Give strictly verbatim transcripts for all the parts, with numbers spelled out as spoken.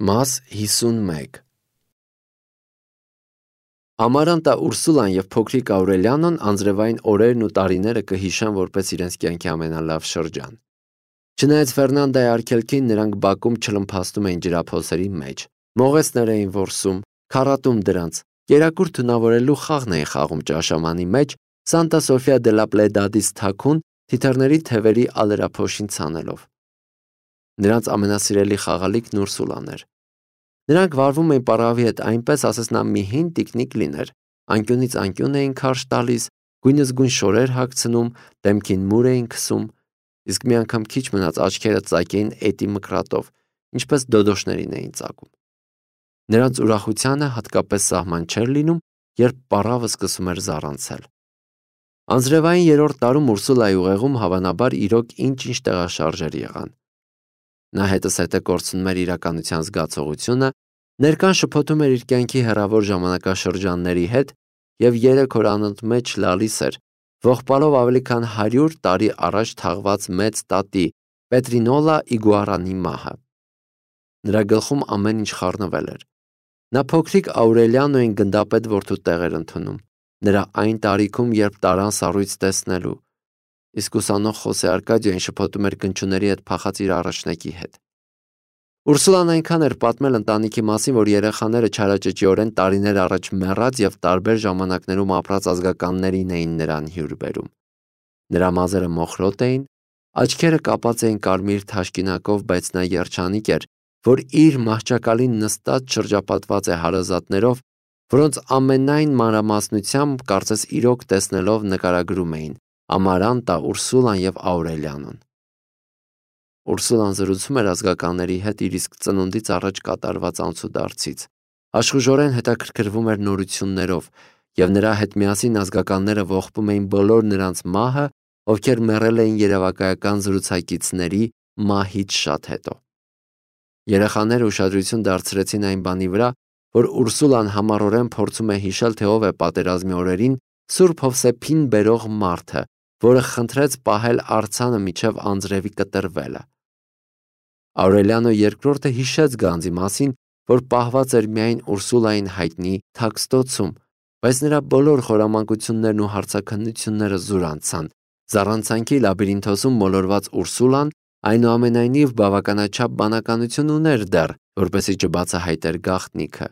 Մաս հիսունմեկ Ամարանտա Ուրսուլան և փոքրիկ Աուրելիանոն անձրևային օրերն ու տարիները կհիշան որպես իրենց կյանքի ամենալավ շրջան։ Չնայած Ֆերնանդայի արգելքին նրանք բակում չլմփաստում էին ջրափոսերի մեջ, մողեսներ էին որսում, քառատում դրանց, կերակուր թունավորելու խաղն էին խաղում ճաշամանի մեջ, Սանտա Սոֆիա դե լա Պլեդադից թաքուն թիթեռների թևերի ալերափոշին ցանելով։ Նրանց ամենասիրելի խաղալիքն Ուրսուլան էր։ Նրանք վարվում էին պառավի հետ այնպես, ասես նա մի հին տիկնիկ լիներ, անկյունից անկյուն էին քարշ տալիս, գույնս գույն շորեր հագցնում, դեմքին մուր էին քսում, իսկ մի անգամ քիչ մնաց աչքերը ծակեին էտի մկրատով, ինչպես դոդոշներին էին ծակում։ Նրանց ուրախությանը հատկապես սահման չէր լինում, երբ պառավը սկսում էր զառանցել։ Անձրևային երրորդ տարում Ուրսուլայի ուղեղում հավանաբար իրոք ինչ-ինչ տեղաշարժեր եղան։ Նա հետս հետը կորցնում էր իրականության զգացողությունը, ներկան շփոթում էր իր կյանքի հեռավոր ժամանակաշրջանների հետ և երեք օր անընդմեջ լալիս էր, ողբալով ավելի քան հարյուր տարի առաջ թաղված մեծ տատի Պետրինոլա Իգուարանի մահը։ Նրա գլխում ամեն ինչ խառնվել էր։ Նա փոքրիկ Աուրելիանոյին գնդապետ որդու տեղ էր ընդունում, նրա այն տարիքում, երբ տարան սառույց տեսնելու, իսկ ուսանող Խոսե Արկադիոն շփոթում էր գնչուների հետ փախած իր առաջնեկի հետ։ Ուրսուլան այնքան էր պատմել ընտանիքի մասին, որ երեխաները չարաճճիորեն տարիներ առաջ մեռած և տարբեր ժամանակներում ապրած ազգականներին էին նրան հյուր բերում։ Նրա մազերը մոխրոտ էին, աչքերը կապած էին կարմիր թաշկինակով, բայց նա երջանիկ էր, որ իր մահճակալին նստած շրջապատված է հարազատներով, որոնց ամենայն մանրամասնությամբ կարծես իրոք տեսնելով նկարագրում էին Ամարանտա, Ուրսուլան և Աուրելիանոն։ Ուրսուլան զրուցում էր ազգականների հետ իր իսկ ծնունդից առաջ կատարված անցուդարձից, աշխուժորեն հետաքրքրվում էր նորություններով, և նրա հետ միասին ազգականները ողբում էին բոլոր նրանց մահը, ովքեր մեռել էին երևակայական զրուցակիցների մահից շատ հետո։ Երեխաները ուշադրություն դարձրեցին այն բանի վրա, որ Ուրսուլան համառորեն փորձում է հիշել, թե ով է պատերազմի օրերին Սուրբ Հովսեփին բերող մարդը, որը խնդրեց պահել արձանը մինչև անձրևի կտրվելը։ Աուրելիանո երկրորդը հիշեց գանձի մասին, որ պահված էր միայն Ուրսուլային հայտնի թաքստոցում, բայց նրա բոլոր խորամանկություններն ու հարցաքննությունները զուր անցան։ Զառանցանքի լաբիրինթոսում մոլորված Ուրսուլան այնուամենայնիվ բավականաչափ բանականություն ուներ դեռ, որպեսզի չբացահայտեր գաղտնիքը։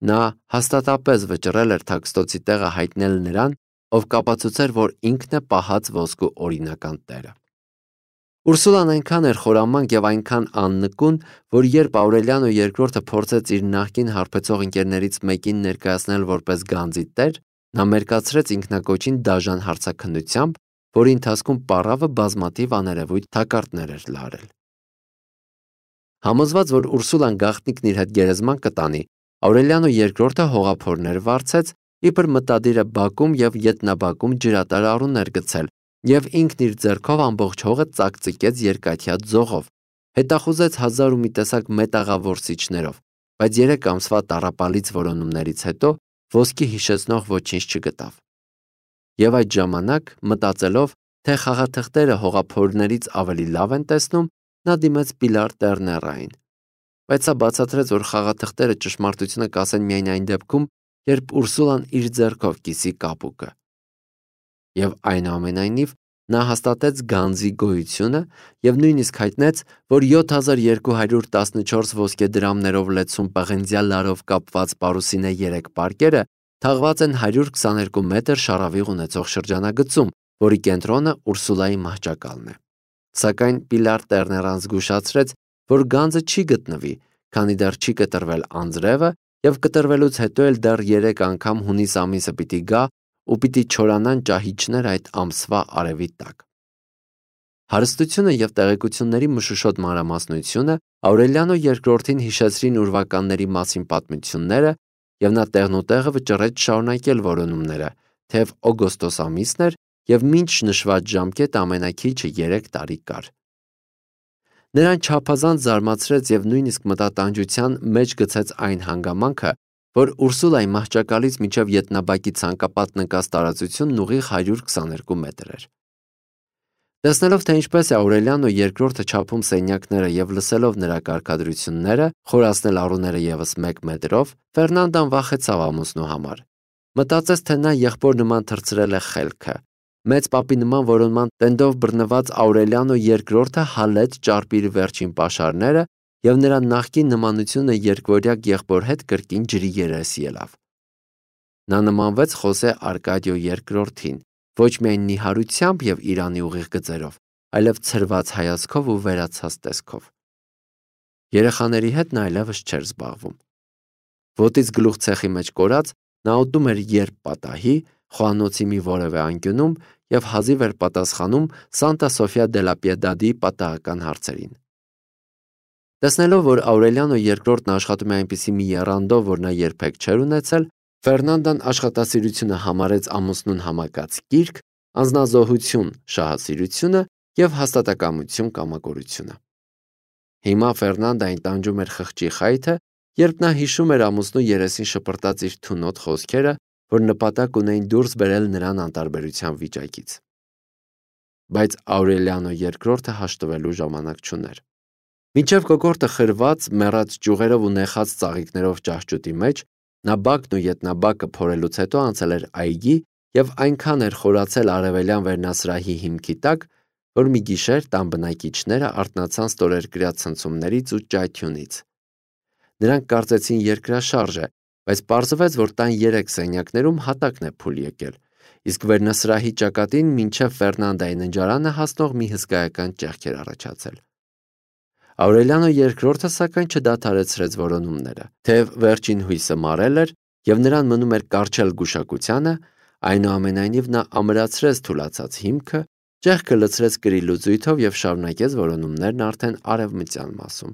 Նա հաստատապես վճռել էր թաքստոցի տեղը հայտնել նրան, ով կապացուցեր, որ ինքն է պահած ոսկու օրինական տերը։ Ուրսուլան այնքան էր խորամանկ և այնքան աննկուն, որ երբ Աուրելիանո երկրորդը փորձեց իր նախկին հարբեցող ընկերներից մեկին ներկայացնել որպես գանձի տեր, նա մերկացրեց ինքնակոչին դաժան հարցաքննությամբ, որի ընթացքում պառավը բազմաթիվ աներևույթ թակարդներ էր լարել։ Համոզված, որ Ուրսուլան գաղտնիքն իր հետ գերեզման կտանի, Աուրելիանո երկրորդը հողափորներ վարձեց, իբր մտադիր է բակում և ետնաբակում ջրատար առուներ գցել, և ինքն իր ձեռքով ամբողջ հողը ծակծիկեց երկաթյա ձողով, հետախուզեց հազար ու մի տեսակ մետաղավորսիչներով, բայց երեք ամսվա տառապալից որոնումներից հետո ոսկի հիշեցնող ոչինչ չգտավ։ Եվ այդ ժամանակ, մտածելով, թե խաղաթղթերը հողափորներից ավելի լավ են տեսնում, նա դիմեց Պիլար Տերներային, բայց սա բացատրեց, որ խաղաթղթերը ճշմարտությունը կասեն միայն այն դեպքում, երբ Ուրսուլան իր ձեռքով կիսի կապուկը։ Եվ այնուամենայնիվ նա հաստատեց գանձի գոյությունը և նույնիսկ հայտնեց, որ յոթ հազար երկու հարյուր տասնչորս ոսկե դրամներով լեցուն պղնձյա լարով կապված պարուսինե երեք պարկերը թաղված են հարյուր քսաներկու մետր շառավիղ ունեցող շրջանագծում, որի կենտրոնը Ուրսուլայի մահճակալն է։ Սակայն Պիլար Տերներան զգուշացրեց, որ գանձը չի գտնվի, քանի դեռ չի կտրվել անձրևը և կտրվելուց հետո էլ դեռ երեք անգամ հունիս ամիսը պիտի գա ու պիտի չորանան ճահիճներ այդ ամսվա արևի տակ։ Հարստությունը և տեղեկությունների մշուշոտ մանրամասնությունը Աուրելիանո երկրորդին հիշեցրին ուրվականների մասին պատմությունները, և նա տեղնուտեղը վճռեց շարունակել որոնումները, թեև օգոստոս ամիսն էր և մինչ նշված ժամկետը ամենաքիչը երեք տարի կար։ Նրան չափազանց զարմացրեց և նույնիսկ մտատանջության մեջ գցեց այն հանգամանքը, որ Ուրսուլայի մահճակալից մինչև ետնաբակի ցանկապատ նկած տարածությունն ուղիղ հարյուր քսաներկու մետր էր։ Տեսնելով, թե ինչպես է Աուրելիանո երկրորդը չափում սենյակները եւ լսելով նրա կարգադրությունները, խորացնել առուները եւս մեկ մետրով, Ֆերնանդան վախեցավ ամուսնու համար։ Մտածեց, թե նա եղբոր նման թռցրել է խելքը։ Մեծ պապի նման որոնման տենդով բռնված Աուրելիանո երկրորդը հալեց ճարպի իր վերջին պաշարները եւ նրա նախկին նմանությունը երկվորյակ եղբոր հետ կրկին ջրի երես ելավ։ Նա նմանվեց Խոսե Արկադիո երկրորդին, ոչ միայն նիհարությամբ եւ Իրանի ուղիղ գծերով, այլև ցրված հայացքով ու վերացած տեսքով։ Երեխաների հետ նա այլևս չէր զբաղվում։ Ոտից գլուխ ցեխի մեջ կորած, նա ուտում էր երբ պատահի, խոհանոցի մի որևէ անկյունում եւ հազիվ էր պատասխանում Սանտա Սոֆիա դե լա Պիեդադի պատահական հարցերին։ Տեսնելով, որ Աուրելիանո երկրորդն աշխատում է այնպիսի մի եռանդով, որ նա երբեք չէր ունեցել, Ֆերնանդան աշխատասիրությունը համարեց ամուսնուն համակած կիրք, անձնազոհություն շահասիրությունը եւ հաստատակամություն կամակորությունը։ Հիմա Ֆերնանդային տանջում էր խղճի խայթը, երբ նա հիշում էր ամուսնու երեսին շպրտած իր թունոտ խոսքերը, որ նպատակ ունեին դուրս բերել նրան անտարբերության վիճակից։ Բայց Աուրելիանո երկրորդը հաշտվելու ժամանակ չուներ։ Մինչև կոկորդը խրված, մեռած ճյուղերով ու նեխած ծաղիկներով ճահճուտի մեջ, նա բակն ու ետնաբակը փորելուց հետո անցել էր այգի եւ այնքան էր խորացել արևելյան վերնասրահի հիմքի տակ, որ մի գիշեր տան բնակիչները արթնացան ստորերկրյա ցնցումներից ու ճայթյունից։ Նրանք կարծեցին երկրաշարժ է, բայց պարզվեց, որ տան երեք սենյակներում հատակն է փուլ եկել, իսկ վերնասրահի ճակատին մինչև Ֆերնանդայի ննջարանը հասնող մի հսկայական ճեղք էր առաջացել։ Աուրելիանո երկրորդը սակայն չդադարեցրեց որոնումները, թեև վերջին հույսը մարել էր եւ նրան մնում էր կառչել գուշակությանը, այնուամենայնիվ նա ամրացրեց թուլացած հիմքը, ճեղքը լցրեց կրի լուծույթով եւ շարունակեց որոնումներն արդեն արևմտյան մասում։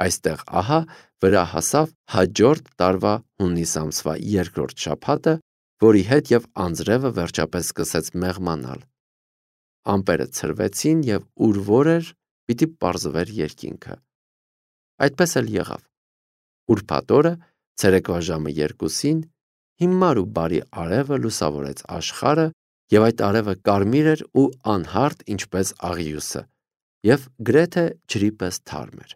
Այստեղ ահա վրա հասավ հաջորդ տարվա հունիս ամսվա երկրորդ շաբաթը, որի հետ եւ անձրևը վերջապես սկսեց մեղմանալ։ Ամպերը ցրվեցին եւ ուր որ էր, պիտի պարզվեր երկինքը։ Այդպես էլ եղավ։ Ուրբաթ օրը, ցերեկվա ժամը երկուսին, հիմար ու բարի արևը լուսավորեց աշխարհը, եւ այդ արևը կարմիր էր ու անհարթ ինչպես աղյուսը, եւ գրեթե ջրի պես թարմ էր։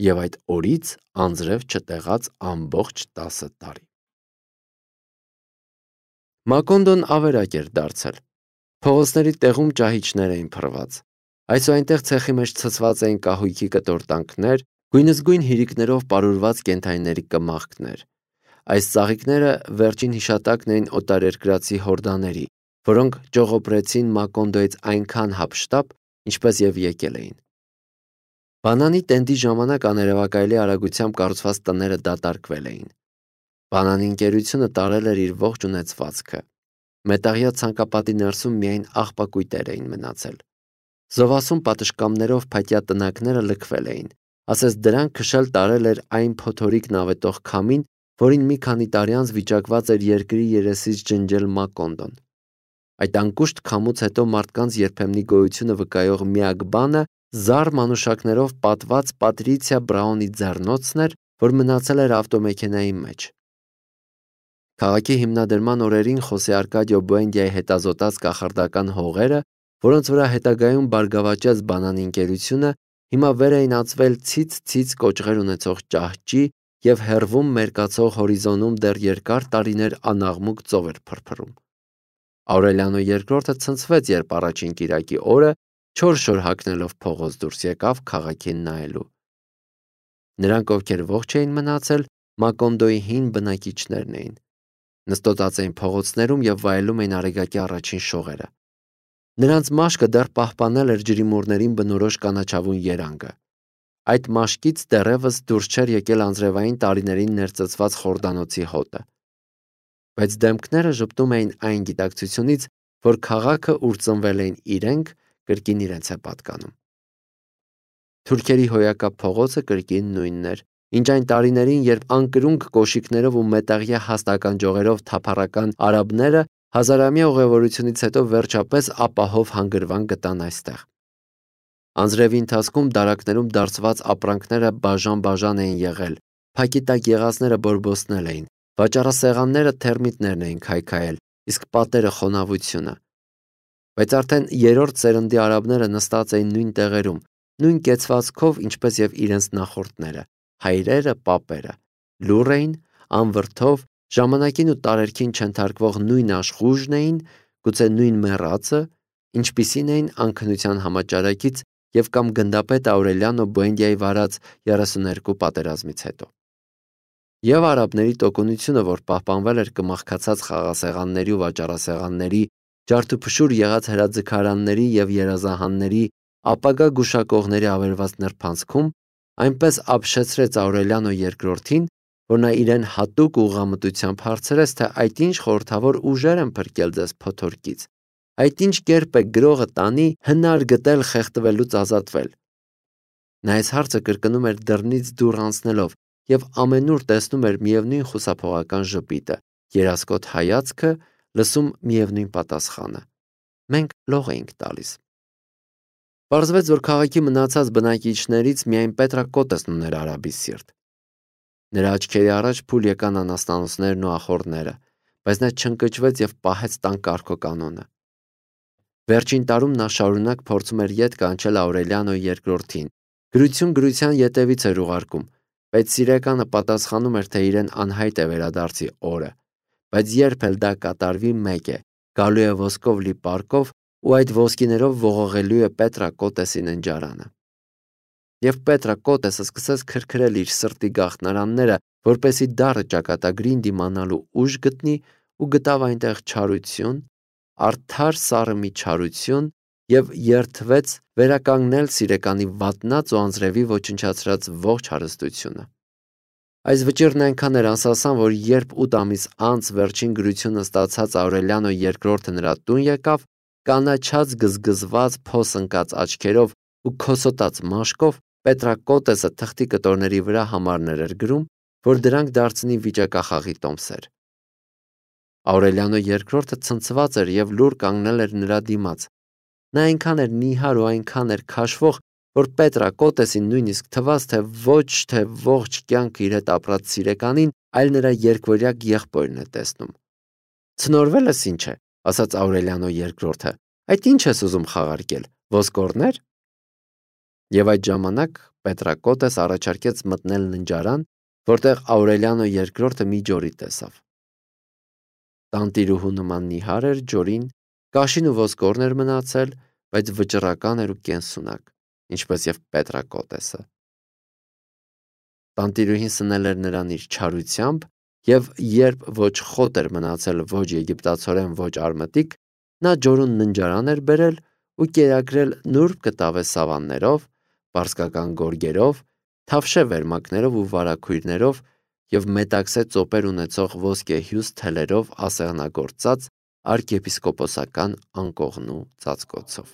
Եվ այդ օրից անձրև չտեղած ամբողջ տասը տարի։ Մակոնդոն ավերակ էր դարձել։ Փողոցների տեղում ճահիճներ էին փռված։ Այս ու այնտեղ ցեխի մեջ ցցված էին կահույքի կտորտանքներ, գույնզգույն հիրիկներով պարուրված կենդանիների կմախքներ։ Այս ծաղիկները վերջին հիշատակն էին օտարերկրացի հորդաների, որոնք ճողոպրեցին Մակոնդոյից այնքան հափշտապ, ինչպես եւ եկել էին։ Բանանի տենդի ժամանակ աներևակայելի արագությամբ կառուցված տները դատարկվել էին։ Բանանի ընկերությունը տարել էր իր ողջ ունեցվածքը։ Մետաղյա ցանկապատի ներսում միայն աղբակույտեր էին մնացել։ Զովասուն պատշգամբներով փայտյա տնակները լքվել էին, ասես դրանք քշել տարել էր այն փոթորիկ նավետող քամին, որին մի քանի տարի անց վիճակված էր երկրի երեսից ջնջել Մակոնդոն։ Այդ անկուշտ քամուց հետո մարդկանց երբեմնի գոյությունը վկայող միակ բանը զառ մանուշակներով պատված Պատրիցիա Բրաունի ձեռնոցն էր, որ մնացել էր ավտոմեքենայի մեջ։ Քաղաքի հիմնադրման օրերին Խոսե Արկադիո Բուենդիայի հետազոտած կախարդական հողերը, որոնց վրա հետագայում բարգավաճեց բանանի ընկերությունը, հիմա վեր էին ածվել ցից-ցից կոճղեր ունեցող ճահճի եւ հեռվում մերկացող հորիզոնում դեռ երկար տարիներ անաղմուկ ծով էր փրփրում։ Աուրելիանո երկրորդը ցնցվեց, երբ առաջին կիրակի օրը չոր-շոր հագնելով փողոց դուրս եկավ քաղաքին նայելու։ Նրանք, ովքեր ողջ էին մնացել, Մակոնդոյի հին բնակիչներն էին։ Նստոտած էին փողոցներում եւ վայելում էին արեգակի առաջին շողերը։ Նրանց մաշկը դեռ պահպանել էր ջրիմուռներին բնորոշ կանաչավուն երանգը։ Այդ մաշկից դեռևս դուրս չէր եկել անձրևային տարիներին ներծծված խորդանոցի հոտը։ Բայց դեմքները ժպտում էին այն գիտակցությունից, որ քաղաքը, ուր ծնվել էին իրենք, կրկին իրենց է պատկանում։ Թուրքերի հոյակապ փողոցը կրկին նույնն էր, ինչ այն տարիներին, երբ անկրունկ կոշիկներով ու մետաղյա հաստականջողերով թափառական արաբները հազարամյա ուղևորությունից հետո վերջապես ապահով հանգրվան գտան այստեղ։ Անձրևի ընթացքում դարակներում դարձված ապրանքները բաժան-բաժան էին եղել, փակի տակ եղածները բորբոսնել էին, վաճառասեղանները թերմիտներն էին քայքայել, իսկ պատերը խոնավությունը։ Բայց արդեն երրորդ սերնդի արաբները նստած էին նույն տեղերում, նույն կեցվածքով, ինչպես եւ իրենց նախորդները, հայրերը, պապերը, լուռ էին, անվրդով, ժամանակին ու տարերքին չընթարկվող նույն աշխուժն էին, գուցե նույն մեռածը, ինչպիսին էին անքնության համաճարակից եւ կամ գնդապետ Աուրելիանո Բուենդիայի վարած երեսուներկու պատերազմից հետո։ Եվ արաբների տոկունությունը, որ պահպանվել էր կմախքացած խաղասեղանների ու վաճառասեղանների, ջարդուփշուր եղած հրաձգարանների եւ երազահանների, ապագա գուշակողների ավերված նրբանցքում, այնպես ապշեցրեց Աուրելիանո երկրորդին, որ նա իրեն հատուկ ուղղամտությամբ հարցրեց, թե այդ ինչ խորհրդավոր ուժեր են փրկել ձեզ փոթորկից, այդ ինչ կերպ է գրողը տանի հնար գտել խեղդվելուց ազատվել։ Նա այս հարցը կրկնում էր դռնից դուռ անցնելով եւ ամենուր տեսնում էր միևնույն խուսափողական ժպիտը, երասկոտ հայացքը, լսում միևնույն պատասխանը. մենք լող էինք տալիս։ Պարզվեց, որ քաղաքի մնացած բնակիչներից միայն Պետրակոտեսն ուներ արաբի սիրտ։ Նրա աչքերի առաջ փուլ եկան անաստանոցներն ու ախոռները, բայց նա չընկճվեց եւ պահեց տան կարգոկանոնը։ Վերջին տարում նա շարունակ փորձում էր յետ կանչել Աուրելիանո երկրորդին, գրություն գրության ետևից էր ուղարկում, բայց սիրեկանը պատասխանում էր, թե իրեն անհայտ է վերադարձի օրը, բայց երբ էլ դա կատարվի, մեկ է, գալու է ոսկով լի պարկով ու այդ ոսկիներով ողողելու է Պետրակոտեսի ննջարանը։ Եվ Պետրակոտեսը սկսեց քրքրել իր սրտի գաղտնարանները, որպեսի դառը ճակատագրին դիմանալու ուժ գտնի ու գտավ այնտեղ չարություն, արդար սառը մի չարություն եւ երդվեց վերականգնել սիրեկանի վատնած ու անձրևի ոչնչացրած ողջ հարստությունը։ Այս վճիռն այնքան էր անսասան, որ երբ ութ ամիս անց վերջին գրությունը ստացած Աուրելիանո երկրորդը նրա տուն եկավ, կանաչած գզգզված փոս ընկած աչքերով ու քոսոտած մաշկով, Պետրակոտեսը թղթի կտորների վրա համարներ էր գրում, որ դրանք դարձնի վիճակախաղի տոմսեր։ Աուրելիանո երկրորդը ցնցված էր եւ լուռ կանգնել էր նրա դիմաց։ Նա այնքան էր նիհար ու այնքան էր քաշվող, որ Պետրակոտեսին նույնիսկ թվաց, թե ոչ թե ողջ կյանքը իր հետ ապրած սիրեկանին, այլ նրա երկվորյակ եղբորն է տեսնում։ Ցնորվել ես ինչ է, ասաց Աուրելիանո երկրորդը։ Այդ ինչ ես ուզում խաղարկել, ոսկորներ։ Եվ այդ ժամանակ Պետրակոտես առաջարկեց մտնել ննջարան, որտեղ Աուրելիանո երկրորդը մի ջորի տեսավ։ Տանտիրուհու նման նիհար էր ջորին, կաշին ու ոսկորն էր մնացել, բայց վճռական էր ու կենսունակ, ինչպես եւ Պետրակոտեսը։ Տանտիրուհին սնել էր նրան իր չարությամբ, եւ երբ ոչ խոտ էր մնացել ոչ եգիպտացորեն, ոչ արմատիկ, նա ջորուն ննջարան էր բերել ու կերակրել նուրբ կտավե սավաններով, պարսկական գորգերով, թավշե վերմակներով ու վարագույրներով եւ մետաքսե ծոպեր ունեցող ոսկեհյուս թելերով ասեղնագործած arciepiskoposական անկողնու ծածկոցով։